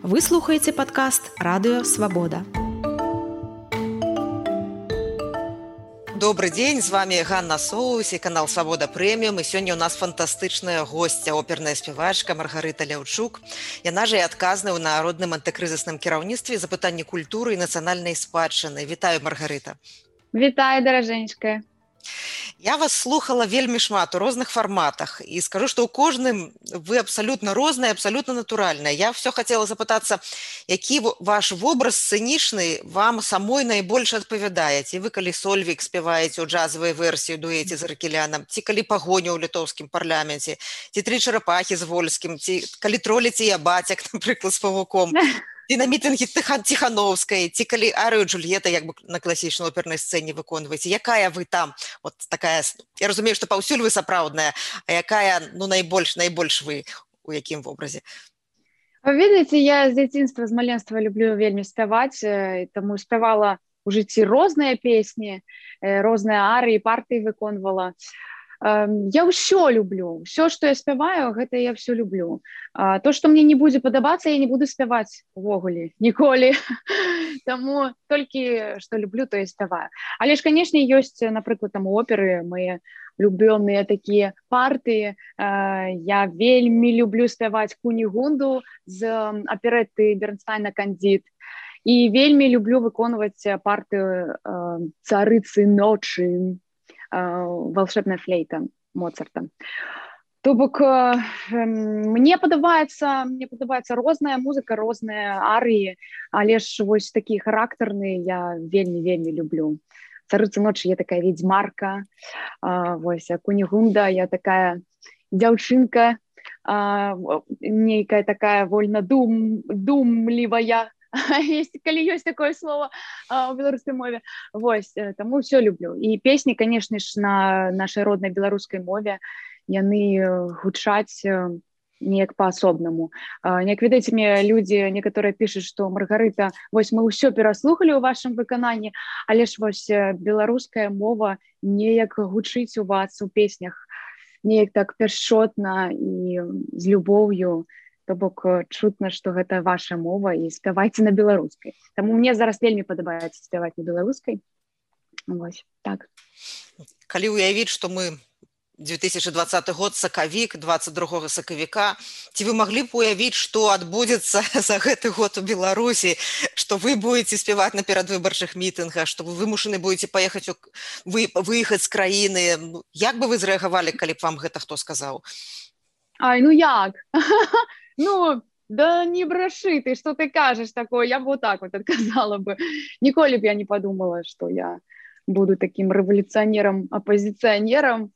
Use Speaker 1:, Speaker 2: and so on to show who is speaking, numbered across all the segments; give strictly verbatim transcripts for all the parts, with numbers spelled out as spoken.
Speaker 1: Вы слухаеце падкаст «Радыё Свабода».
Speaker 2: Добрый дзень, з вами Ганна Соус і канал «Свабода Прэміум». І сёння ў нас фантастычная госця, оперная спявачка Маргарыта Ляўчук. Яна ж і адказная ў Народным антыкрызісным кіраўніцтве за пытанні культуры і нацыянальнай спадчыны. Вітаю, Маргарыта.
Speaker 3: Вітаю, даражэнечка.
Speaker 2: Я вас слухала вельмі шмат у розных фарматах і скажу, што ў кожным вы абсалютна розныя, абсалютна натуральныя. Я ўсё хацела запытацца, які ваш вобраз сцэнічны вам самой найбольш адпавядае? Ці вы калі Сольвік спяваеце ў джазавай версіі ў дуэце з Аракеляном, ці калі Пагоня ў літоўскім парламенце, ці Тры чарапахі з Вольскім, ці калі троліце я бацяк, напрыклад, з Павуком, ці на мітынгі Ціхановскай, ці калі арыю Джульета як бы на класічнай опернай сцэне выконваеце. Якая вы там? Вот такая, я разумею, што паўсюль вы сапраўдная, а якая, ну, найбольш, найбольш вы у якім вобразе?
Speaker 3: Вы ведаеце, я з дзяцінства, з маленства люблю вельмі спяваць, таму спявала ў жыцці розныя песні, розныя арыі, партыі выконвала. Я ўсё люблю, ўсё, што я спяваю, гэта я ўсё люблю. То, што мне не будзе падабацца, я не буду спяваць увогуле, ніколі. Таму толькі, што люблю, то я спяваю. Але ж, канешне, ёсць, напрыклад, там оперы, мае улюбёныя такія партыі. Я вельмі люблю спяваць Кунігунду з аперэтты Бернстайна «Кандід». І вельмі люблю выконваць партыю «Царыцы ночы», «Волшебная флейта» Моцарта. То бок мне падабаецца, мне падабаецца розная музыка, розныя арыі, але ж вось такія характарныя я вельмі-вельмі люблю. «Царыцы ночы» я такая ведьмарка, вось Кунігунда я такая дзяўчынка, нейкая такая вольна дум, думлівая. Есть, калі ёсць такое слово у беларускай мове. Вось, таму ўсё люблю. І песні, канешне ж, на нашай роднай беларускай мове, яны гучаць неяк па-асобнаму. Неяк, ведаеце, мне людзі некаторыя пішуць, што Маргарыта, вось мы ўсё пераслухалі ў вашым выкананні, але ж вось беларуская мова неяк гучыць у вас у песнях, неяк так пяшчотна і з любоўю. То бок чутна, што гэта ваша мова і спявайце на беларускай. Таму мне зараз вельмі падабаецца спяваць на беларускай. Вось, так.
Speaker 2: Калі ўявіць, што мы две тысячи двадцаты год, сакавік, двадцать другога сакавіка, ці вы маглі б уявіць, што адбудзецца за гэты год у Беларусі, што вы будете спяваць на перадвыбарчых мітынгах, што вы вымушаны будете паехаць у... вы... выехаць з краіны. Як бы вы зрэагавалі, калі б вам гэта хто сказаў?
Speaker 3: Ай, ну як? Ну, да не брашы ты, что ты кажешь такое, я бы вот так вот отказала бы. Ніколі б я не подумала, что я буду таким революционером, оппозиционером.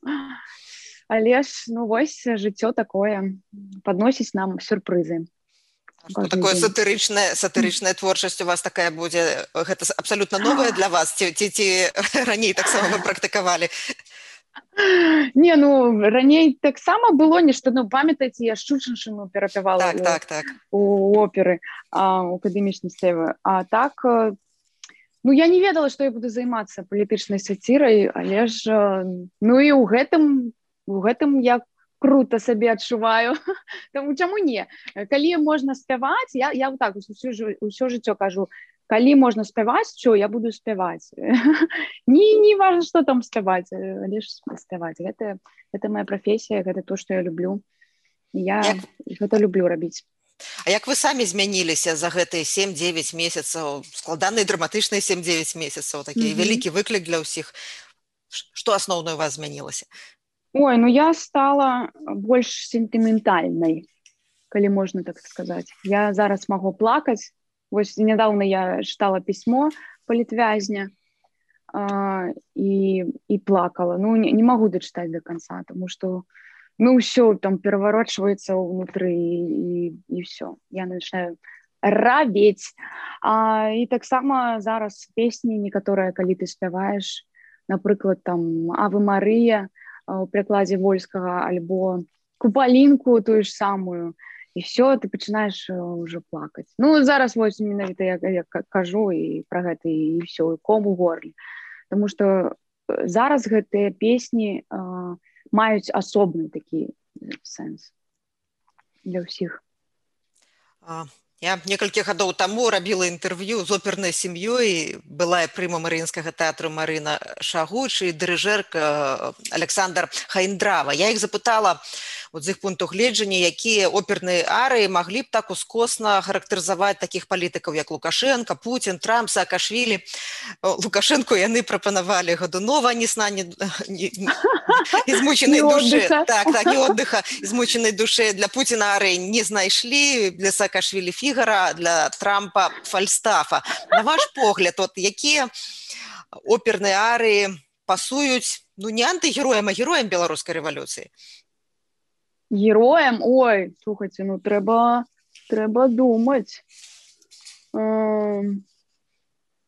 Speaker 3: Але ж, ну вось, жыццё такое, подносіць нам сюрпрызы.
Speaker 2: Что такое сатырычная, сатырычная творчасць у вас такая будзе? Гэта абсолютно новая для вас? Ці, ці, ці раней таксама вы практыкавалі?
Speaker 3: Не, ну, раней таксама было нешта, ну, памятаеце, я Шчучыншчыну перапявала
Speaker 2: так,
Speaker 3: у,
Speaker 2: так, так.
Speaker 3: у оперы, а, у акадэмічнай сцэвы. А так, ну, я не ведала, што я буду займацца палітычнай сацірай, але ж, ну, і ў гэтым, у гэтым я крута сабе адчуваю. Таму чаму не? Калі можна спяваць, я, я вот так усё, усё жыццё кажу, калі можна спяваць, що я буду спяваць. Не, не важна, што там спяваць, але ж спяваць. Гэта, гэта моя прафесія, гэта то, што я люблю. Я як... гэта люблю рабіць.
Speaker 2: А як вы самі змяніліся за гэтыя сем-дзевяць месяцаў, складаныя драматычныя сем-дзевяць месяцаў, такі mm-hmm. вялікі выклік для ўсіх? Што асноўнае у вас змянілася?
Speaker 3: Ой, ну я стала больш сентыментальнай, калі можна так сказаць. Я зараз магу плакаць. Вось нядаўна я чытала пісьмо палітвязня а, і, і плакала. Ну, не, не магу дачытаць до конца, тому што ну, ўсё там пераварочваецца ўнутры і, і, і ўсё. Я начинаю рабець. А, і таксама зараз песні некаторыя, калі ты спяваеш, напрыклад, там «Аве Марыя» у перакладзе Вольскага, альбо «Купалінку» тую ж самую, і все, ты пачынаеш уже плакаць. Ну, зараз вось менавіта я, я кажу і пра гэта, і все, і ком у горле. Таму што зараз гэтыя песні а, маюць асобны такі сэнс для ўсіх.
Speaker 2: А, Я некалькі гадоў таму рабіла інтэрв'ю з опернай сям'ёй, былая прыма Марыінскага тэатру Марына Шагуч і дырыжэрка Александр Хаіндрава. Я іх запытала, от з іх пункту гледжання, якія оперныя арыі маглі б так ускосна характарызаваць такіх палітыкаў, як Лукашенко, Путін, Трамп, Саакашвілі. Лукашенко яны прапанавалі Годунова, ні сна, ні, ні, ні змученай душы. Так, так, ні отдыха, змученай душы. Для Путіна арыі не знайшлі, для Саакашвілі Фігара, для Трампа Фальстафа. На ваш погляд, от якія оперныя арыі пасуюць, ну не антыгероям, а героям беларускай рэвалюцыі?
Speaker 3: Героям? Ой, слухайте, ну трэба, трэба думаць. Эм...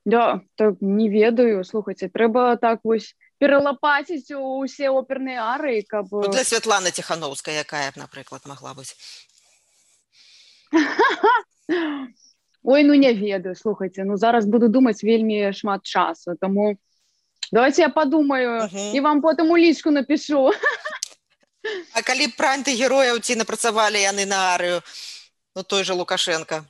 Speaker 3: Да, так не ведаю, слухайте, трэба так вось пералапаціць усе оперныя арыі, каб...
Speaker 2: Ну, для Святланы Ціхановскай, якая б, напрыклад, магла быць?
Speaker 3: Ой, ну не ведаю, слухайте, ну зараз буду думаць вельмі шмат часу, таму давайте я подумаю uh-huh. і вам потым у лічку напишу.
Speaker 2: А калі б пра антыгерояў ці напрацавалі яны на арыю, ну той же Лукашенко?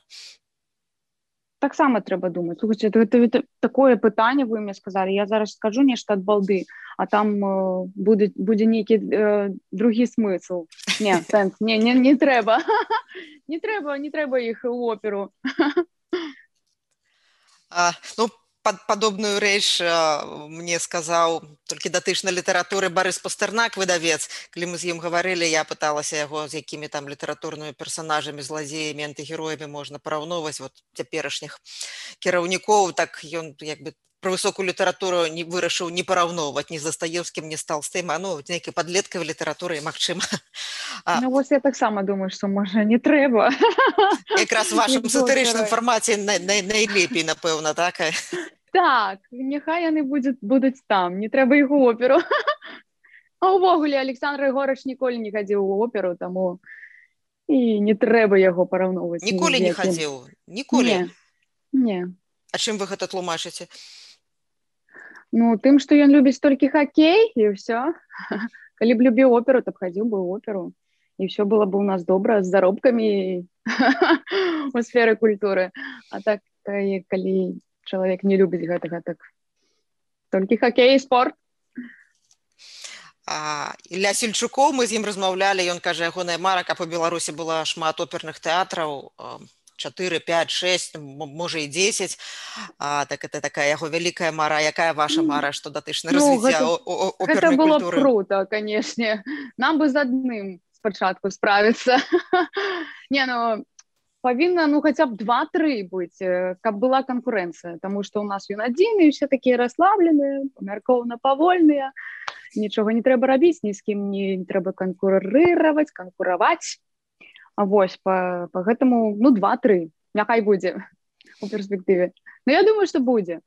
Speaker 3: Таксама трэба думаць. Слухайте, это, это, это такое пытанне вы мне сказалі, я зараз скажу нешта ад балды, а там э, будзе, будзе нейкі э, другі смысл. Не, сэнс, не, не, не трэба. Не трэба, не трэба іх у оперу.
Speaker 2: А, ну, под, падобную рэч а, мне сказаў толькі датычна літаратуры Барыс Пастэрнак, выдавец. Калі мы з ім гаварылі, я пыталася яго, з якімі там літаратурнымі персанажамі, злазеямі, антыгероямі можна параўноўваць вот цяперашніх кіраўнікоў, так ён як бы пра высокую літаратуру не вырашыў не параўноўваць ні з Дастаеўскім, ні з Талстым, а ну нейкай падлеткавай літаратуры, магчыма.
Speaker 3: А... Ну вось я таксама думаю, што можа не трэба.
Speaker 2: Якраз у вашым сатырычным фармаце най, най, найлепей, напэўна, так?
Speaker 3: Так, няхай яны будуць, будуць там, не трэба іх у оперу. А ўвогуле Александр Егорыч ніколі не хадзіў у оперу, таму і не трэба яго параўноўваць.
Speaker 2: Ніколі не хадзіў? Ніколі?
Speaker 3: Не, не.
Speaker 2: А чым вы гэта тлумачыце?
Speaker 3: Ну, тым, што ён любіць толькі хакей, і ўсё. Калі б любіў оперу, то б хадзіў бы ў оперу. І ўсё было б у нас добра з заробкамі у сферы культуры. А так, калі чалавек не любіць гэтага, так толькі хакей і спорт.
Speaker 2: А, Ілля Сельчукоў, мы з ім размаўлялі, ён кажа, ягоная мара, каб у Беларусі была шмат оперных тэатраў, чатыры, пяць, шэсць, можа і дзесяць. А, так это такая яго вялікая мара. Якая ваша мара, што датычна
Speaker 3: ну,
Speaker 2: развіцця
Speaker 3: гэта,
Speaker 2: опернай культуры?
Speaker 3: Гэта было б круто, канешне. Нам бы з адным спачатку справіцца. Не, ну, павінна, ну, хаця б два-тры быць, каб была канкурэнцыя, таму што ў нас ён адзін, і ўсе такія расслабленыя, памяркоўна павольныя, нічога не трэба рабіць, ні з кім не трэба канкурыраваць, канкураваць. А вось, па, па гэтаму, ну, два-тры, няхай будзе у перспектыве. Ну, я думаю, што будзе.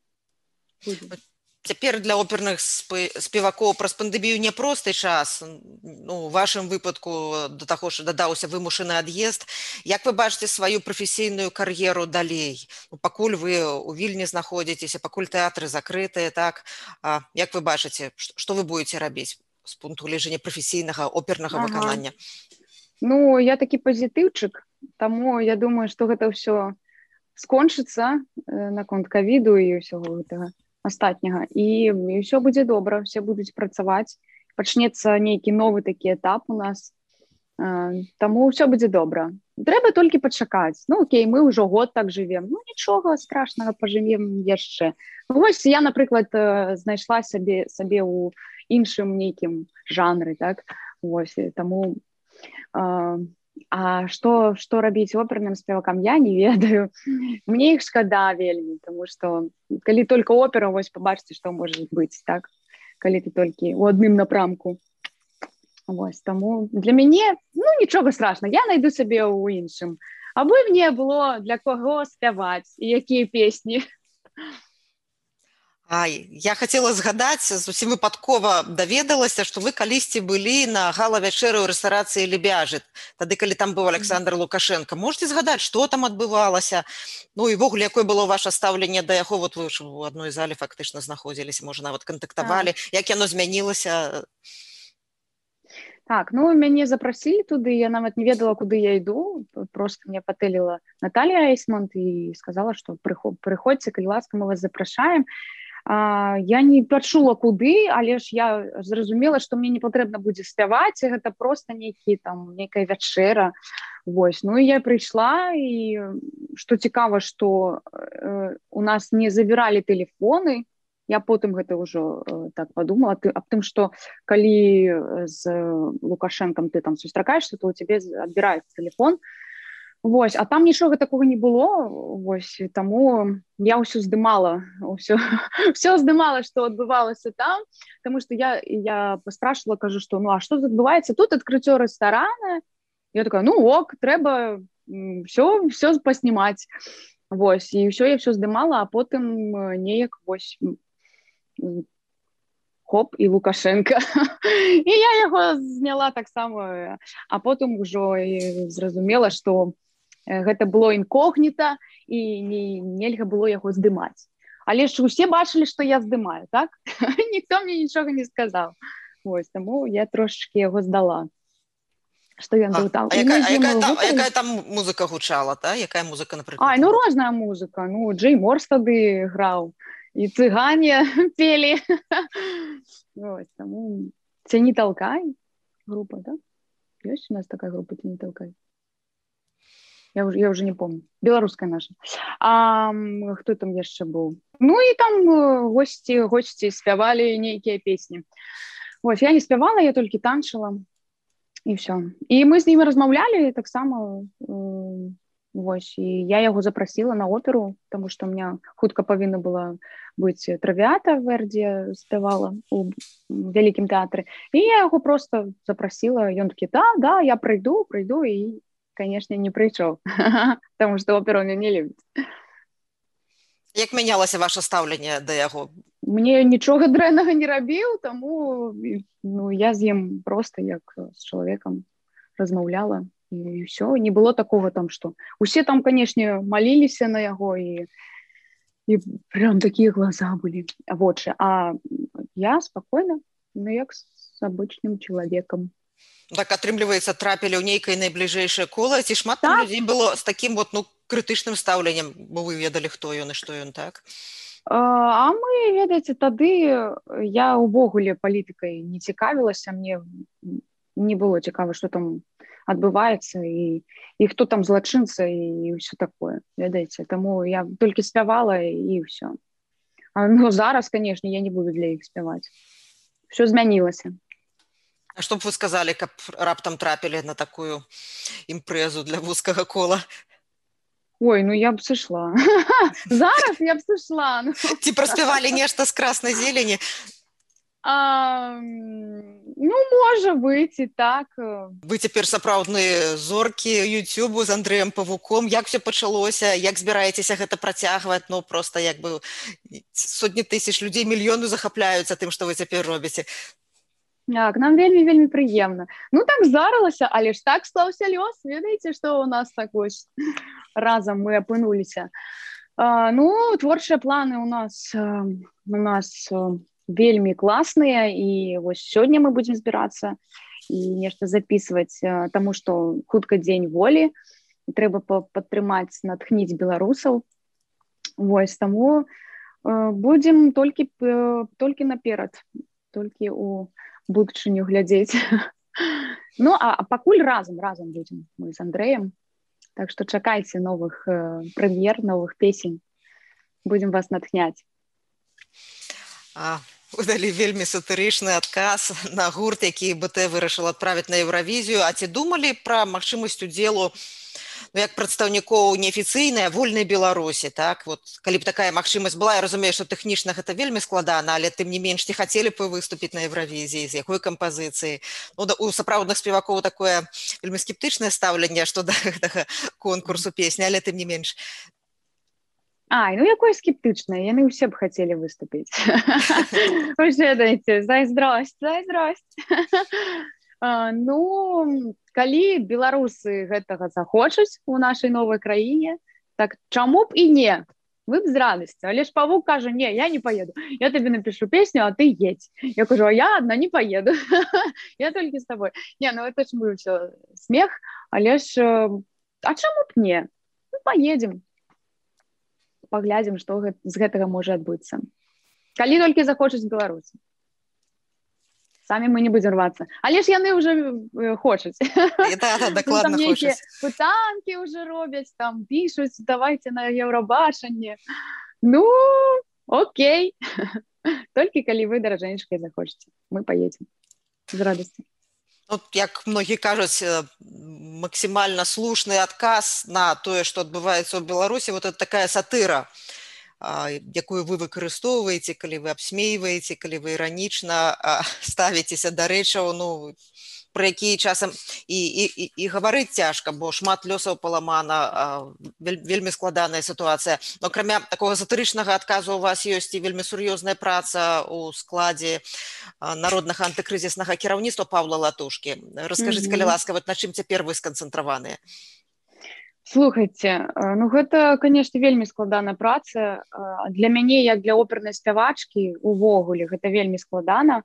Speaker 3: будзе.
Speaker 2: Цяпер для оперных спевакоў праз пандэмію няпросты час. Ну, у вашым выпадку да таго ж дадаўся вымушаны ад'езд. Як вы бачыце сваю прафесійную кар'еру далей? Ну, пакуль вы у Вільні знаходзіцеся, пакуль тэатры закрытыя, так? А, як вы бачыце, што вы будзеце рабіць з пункту гледжання прафесійнага опернага ага. выканання?
Speaker 3: Ну, я такі пазітыўчык, таму я думаю, што гэта ўсё скончыцца э, наконт ковіду і ўсяго гэтага астатняга. І, і ўсё будзе добра, все будуць працаваць. Пачнецца нейкі новы такі этап у нас. Э, таму ўсё будзе добра. Трэба толькі пачакаць. Ну, окей, мы ўжо год так жывем. Ну, нічога страшнага, пажывем яшчэ. Ну, вось я, напрыклад, э, знайшла сабе, сабе ў іншым нейкім жанры, так? Вось, таму... А, а што, што рабіць оперным спевакам, я не ведаю. Мне іх шкада вельмі, тому што калі толькі опера, вось пабачыце, што можа быць, так? Калі ты толькі ў адным напрамку. Вось, таму для мяне, ну, нічога страшна, я найду сабе ў іншым. Абы мне было для каго спяваць і якія песні.
Speaker 2: Ай, я хацела згадаць, зусім выпадкова даведалася, што вы калісьці былі на гала-вячэры ў рэстарацыі Лебяжыт, тады, калі там быў Александр Лукашенко. Можете згадаць, што там адбывалася? Ну і ввогуле, якое было ваша стаўленне да яго? Вот вы ж у адной зале фактычна знаходзіліся, можа, нават кантактавалі. Так. Як яно змянілася?
Speaker 3: Так, ну мяне запрасілі туды, я нават не ведала, куды я іду, просто мне патэліла Наталья Эйсмонт і сказала, што прыходзьце, калі ласка, мы вас запрашаем. А, я не пачула куды, але ж я зразумела, што мне не патрэбна будзе спяваць, гэта проста нейкі там нейкая вячэра. Вось, ну і я прыйшла, і што цікава, што э, у нас не забіралі тэлефоны. Я потым гэта ўжо э, так падумала ты, аб тым, што калі з Лукашэнкам ты там сустракаешься, то у цябе адбіраецца тэлефон. Вось, а там нічога такога не было. Вось, таму я ўсё здымала, ўсё, ўсё здымала, што адбывалася там, таму што я, я паспрашвала, кажу, што ну а што адбываецца? Тут адкрыццё рэстарана. Я такая, ну ок, трэба ўсё, ўсё паснімаць. Вось, і ўсё я ўсё здымала, а потым неяк вось хоп, і Лукашенко. І я яго зняла таксама, а потым ужо зразумела, што гэта было інкогніта, і не, нельга было яго здымаць. Але ж усе бачылі, што я здымаю, так? Ніхто мне нічога не сказаў. Вось, таму я трошечкі яго здала. Што ён быў там.
Speaker 2: А, а, якая, а якая, там, якая там музыка гучала, та? Якая музыка, напрыклад?
Speaker 3: А, ну розная музыка. Ну, Джей Морс тады граў. І цыгане пелі. Ось, таму «Ці не толкай» група, да? Ёсць у нас такая група «Ці не толкай»? Я уже, я уже не помню. Беларуская наша. А хто там яшчэ быў? Ну і там госці, госці спявалі нейкія песні. Вось, я не спявала, я толькі танчыла. І ўсё. І мы з імі размаўлялі таксама. Вось, і я яго запрасіла на оперу, таму што ў меня хутка павінна была быць «Травіата» Верді спявала у вялікім тэатры. І я яго просто запрасіла. Ён такі, да, да, я прыйду, прыйду, і, канешне, не прыйшоў, таму што оперу мне не любіць.
Speaker 2: Як мянялася ваша стаўленне да яго?
Speaker 3: Мне нічога дрэннага не рабіў, таму ну, я з ім просто як з чалавекам размаўляла. І ўсё, не было такога там, што усе там, канешне, маліліся на яго, і, і прям такія глаза былі, вочы. А я спакойна, ну як з абычным чалавекам.
Speaker 2: Так, атрымліваецца, трапілі ў нейкае найбліжэйшае кола, ці шмат там людзей было з такім вот, ну, крытычным стаўленнем, бо вы ведалі, хто ён і што ён, так?
Speaker 3: А мы, ведаеце, тады я ўвогуле палітыкай не цікавілася, мне не было цікава, што там адбываецца, і, і хто там злачынца, і ўсё такое, ведаеце. Таму я толькі спявала, і ўсё. А, ну, зараз, канешне, я не буду для іх спяваць. Усё змянілася.
Speaker 2: А што б вы сказалі, каб раптам трапілі на такую імпрэзу для вузкага кола?
Speaker 3: Ой, ну я б сышла. Зараз я б сышла. Ну.
Speaker 2: Ці праспявалі нешта з краснай зелені?
Speaker 3: А, ну, можа быць і так.
Speaker 2: Вы цяпер сапраўдныя зоркі Ютубу з Андрэем Павуком. Як все пачалося? Як збіраецеся гэта працягваць? Ну, проста як бы сотні тысяч людзей, мільёны захапляюцца тым, што вы цяпер робіце.
Speaker 3: Так, нам вельмі-вельмі прыемна. Ну, так здарылася, але ж так склаўся лёс. Ведаеце, што у нас так вось разам мы апынуліся. А, ну, творчыя планы у нас, у нас вельмі класныя, і вось сёння мы будзем збірацца і нешта запісваць, таму што хутка дзень волі, і трэба падтрымаць, натхніць беларусаў. Вось, таму будзем толькі, толькі наперад, толькі у будучыню глядзець. Ну, а, а пакуль разам, разам будзем мы з Андрэем. Так што чакайце новых прэм'ер, новых песень. Будзем вас натхняць.
Speaker 2: А, вы далі вельмі сатырычны адказ на гурт, які БТ вырашыла адправіць на Еўравізію. А ці думалі пра магчымасць удзелу, ну, як прадстаўнікоў неафіцыйнай, вольнай Беларусі, так? Вот, калі б такая магчымасць была, я разумею, што тэхнічна гэта вельмі складана, але тым не менш, ці хацелі б вы выступіць на Еўравізіі, з якой кампазіцыі? Ну, да, у сапраўдных спевакоў такое вельмі скептычнае стаўленне, што да гэтага конкурсу песні, але тым не менш.
Speaker 3: Ай, ну якое скептычнае, яны ўсе б хацелі выступіць. Вы ж ведаеце, зайздросць, зайздросць. Ну, калі беларусы гэтага захочуць у нашай новай краіне, так чаму б і не? вы б з радасцю. Але ж павук кажа: не, я не поеду, я табе напишу песню, а ты едь. Я кажу: а я одна не поеду. Я толькі з тобой. Не, ну это ж мы ўсё смех, але ж а чаму б не? Ну, поедем, паглядзім, што з гэтага можа адбыцца. Калі толькі захочуць беларусы. Самі мы не будзем рвацца. Але ж яны ўжо хочуць.
Speaker 2: Да, да, дакладна хочуць.
Speaker 3: Пытанкі ўжо робяць, там пішуць: давайте на Еўрабачанне. Ну, окей. Толькі калі вы, даражэнечкай, захочаце. Мы поедем з радасцю.
Speaker 2: Вот, як многі кажуць, максімальна слушны адказ на тое, што адбываецца ў Беларусі, вот это такая сатыра, якую вы выкарыстоўваеце, калі вы абсмейваеце, калі вы іранічна ставіцеся да рэчаў, ну, пра якія часам і, і, і, і гаварыць цяжка, бо шмат лёсаў паламана, вельмі складаная сітуацыя. Но акрамя такога сатырычнага адказу у вас ёсць і вельмі сур'ёзная праца ў складзе народнага антыкрызіснага кіраўніцтва Паўла Латушкі. Раскажыце, калі ласка, вот на чым цяпер вы сканцэнтраваныя?
Speaker 3: Слухайце, ну гэта, канешне, вельмі складаная праца. Для мяне, як для опернай спявачкі, увогуле, гэта вельмі складана.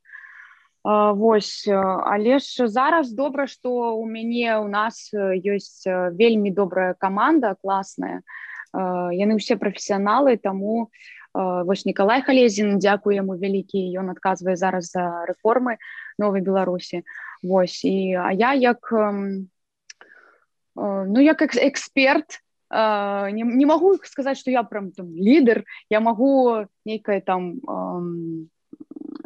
Speaker 3: Вось, але ж зараз добра, што у мяне, у нас ёсць вельмі добрая каманда, класная. Яны ўсе прафесіяналы, таму вось Нікалай Халезін, дзякую яму вялікі, ён адказвае зараз за рэформы Новай Беларусі. Вось, і, а я як, ну, як эксперт, не, не магу сказаць, што я прям там лідар, я магу нейкае там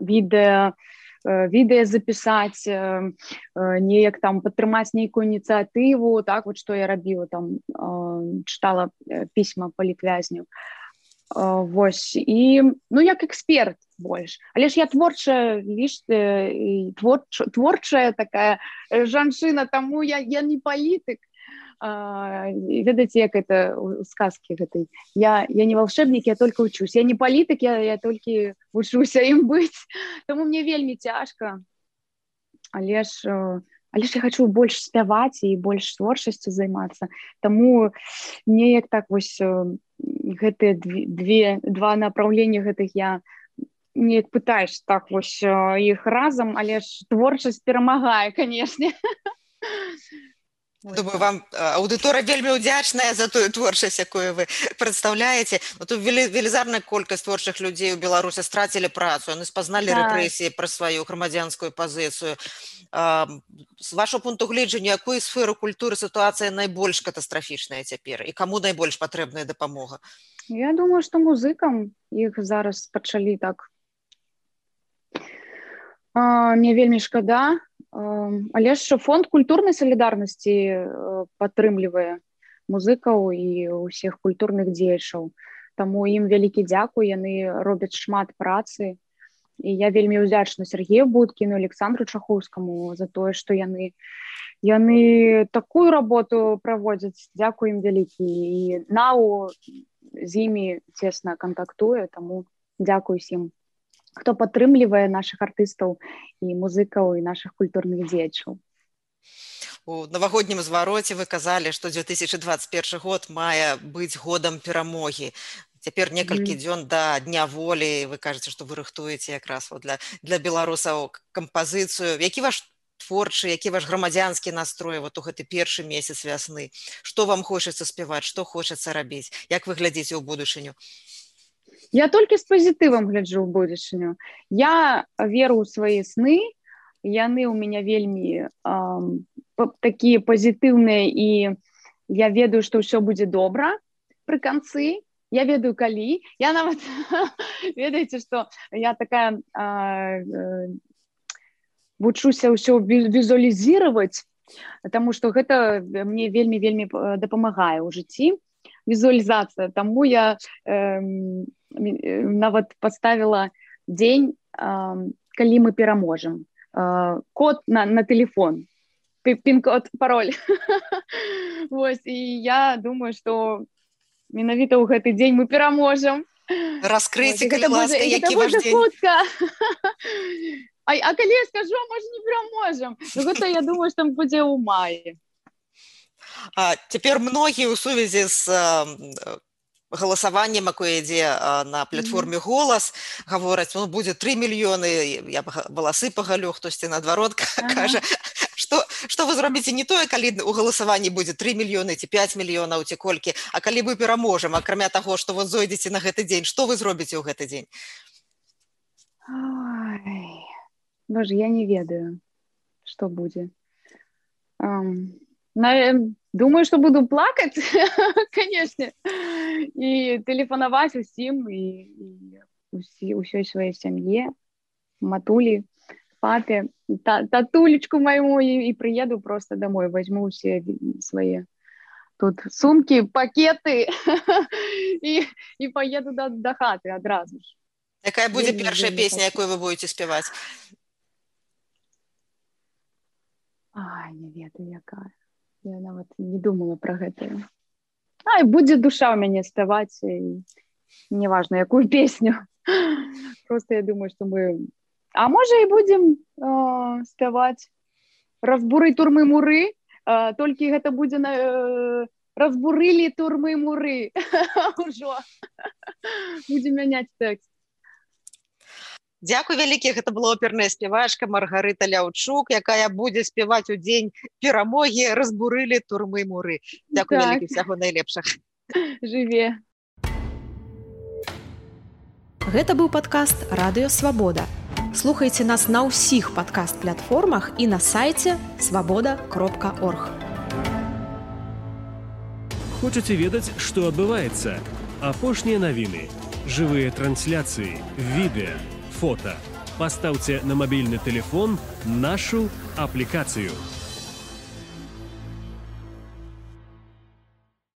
Speaker 3: відэа, відэа запісаць, неяк там падтрымаць нейкую ініцыятыву, так вот, што я рабіла, там чытала пісьма палітвязню. Вось, і, ну, як эксперт больш. Але ж я творчая, віш, творч, творчая такая жанчына, таму я, я не палітык. Ведаеце, як это у сказкі гэтай. Я, я не волшебник, я только учусь. Я не палітык, я, я толькі вучуся ім быць. Таму мне вельмі цяжка. Але ж, але ж я хочу больш спяваць і больш творчасцю займацца. Таму неяк так вось гэтыя две, два направлення гэтых я неяк пытаюсь так вось іх разам, але ж творчасць перамагае, канешне.
Speaker 2: Думаю, вам аўдыторыя вельмі ўдзячная за тую творчасць, якую вы прадстаўляеце. Тут велізарная колькасць творчых людзей у Беларусі страцілі працу, яны спазналі рэпрэсіі пра сваю грамадзянскую пазіцыю. З вашого пункту гледжання, якую сферу культуры сітуацыя найбольш катастрафічная цяпер і каму найбольш патрэбная дапамога?
Speaker 3: Я думаю, што музыкам іх зараз пачалі так. Мне вельмі шкада. Але ж фонд культурнай салідарнасці падтрымлівае музыкаў і ўсіх культурных дзеячаў. Таму ім вялікі дзякуй, яны робяць шмат працы. І я вельмі ўдзячна Сергею Будкіну, Александру Чахоўскаму за тое, што яны, яны такую работу праводзяць. Дзякуй ім вялікі. І НАУ з імі цесна кантактуе, таму дзякуй ім, хто падтрымлівае нашых артыстаў і музыкаў і нашых культурных дзеячаў.
Speaker 2: У навагоднім звароце вы казалі, што две тысячи двадцать первый год мае быць годам перамогі. Цяпер некалькі mm. дзён да Дня волі, вы кажаце, што вы рыхтуеце якраз для, для беларусаў кампазіцыю. Які ваш творчы, які ваш грамадзянскі настрой вот у гэты першы месяц вясны? Што вам хочацца спяваць, што хочацца рабіць? Як вы глядзіце ў будучыню?
Speaker 3: Я толькі з пазітывам гляджу ў будучыню. Я веру ў свае сны, яны ў мяне вельмі эм, такія пазітыўныя, і я ведаю, што ўсё будзе добра пры канцы. Я ведаю, калі. Я нават, ведаеце, што я такая э, э, вучуся ўсё візуалізировать, таму што гэта мне вельмі-вельмі дапамагае ў жыцці. Візуалізацыя. Таму я э, нават поставила дзень, калі мы пераможам. Код на, на телефон, пин-код, пароль. Вось, і я думаю, што менавіта ў гэты дзень мы пераможам.
Speaker 2: Раскрыйце, калі ласка, які ваш дзень.
Speaker 3: А, а калі я скажу, можа, не пераможам. Ну, гэта, я думаю, што будзе ў маі.
Speaker 2: А, цяпер многія ў сувязі з галасаваннем, якое ідзе на платформе «Голас», гавораць, ну, будзе тры мільёны, я валасы пагалю, хтосьці наадварот кажа, што, што вы зробіце не тое, калі у галасаванні будзе тры мільёны ці пяць мільёнаў ці колькі, а калі мы пераможам, акрамя таго, што вот зойдзеце на гэты дзень, што вы зробіце ў гэты дзень?
Speaker 3: Ой, боже, я не ведаю, што будзе. Um... Думаю, что буду плакать, конечно, и телефоновать усім, и, и усей своей семье, матуле, папе, та, татулечку моему, и, и приеду просто домой, возьму все свои тут сумки, пакеты и, и поеду до, до хаты одразу ж.
Speaker 2: Какая будет первая песня, якую вы будете спевать?
Speaker 3: Ай, не ведаю, якая. Я нават не думала про гэта. Ай, будзе душа ў мяне спяваць, і неважно, якую песню. Просто я думаю, што мы... А можа і будзем э, спяваць «Разбуры турмы муры», э, толькі гэта будзе на... Э, «Разбурылі турмы муры». Ужо. Будзем мяняць тэкст.
Speaker 2: Дзякуй вялікі, гэта была оперная спявачка Маргарыта Ляўчук, якая будзе спяваць у дзень перамогі «Разбурылі турмы муры». Дзякуй так. Вялікі, всяго найлепшых.
Speaker 3: Жыве.
Speaker 1: Гэта быў падкаст «Радыё Свабода». Слухайце нас на ўсіх падкаст-платформах і на сайце свабода кропка орг.
Speaker 4: Хочаце ведаць, што адбываецца? Апошнія навіны, жывыя трансляцыі, відэа, фото. Поставьте на мобильный телефон нашу аппликацию.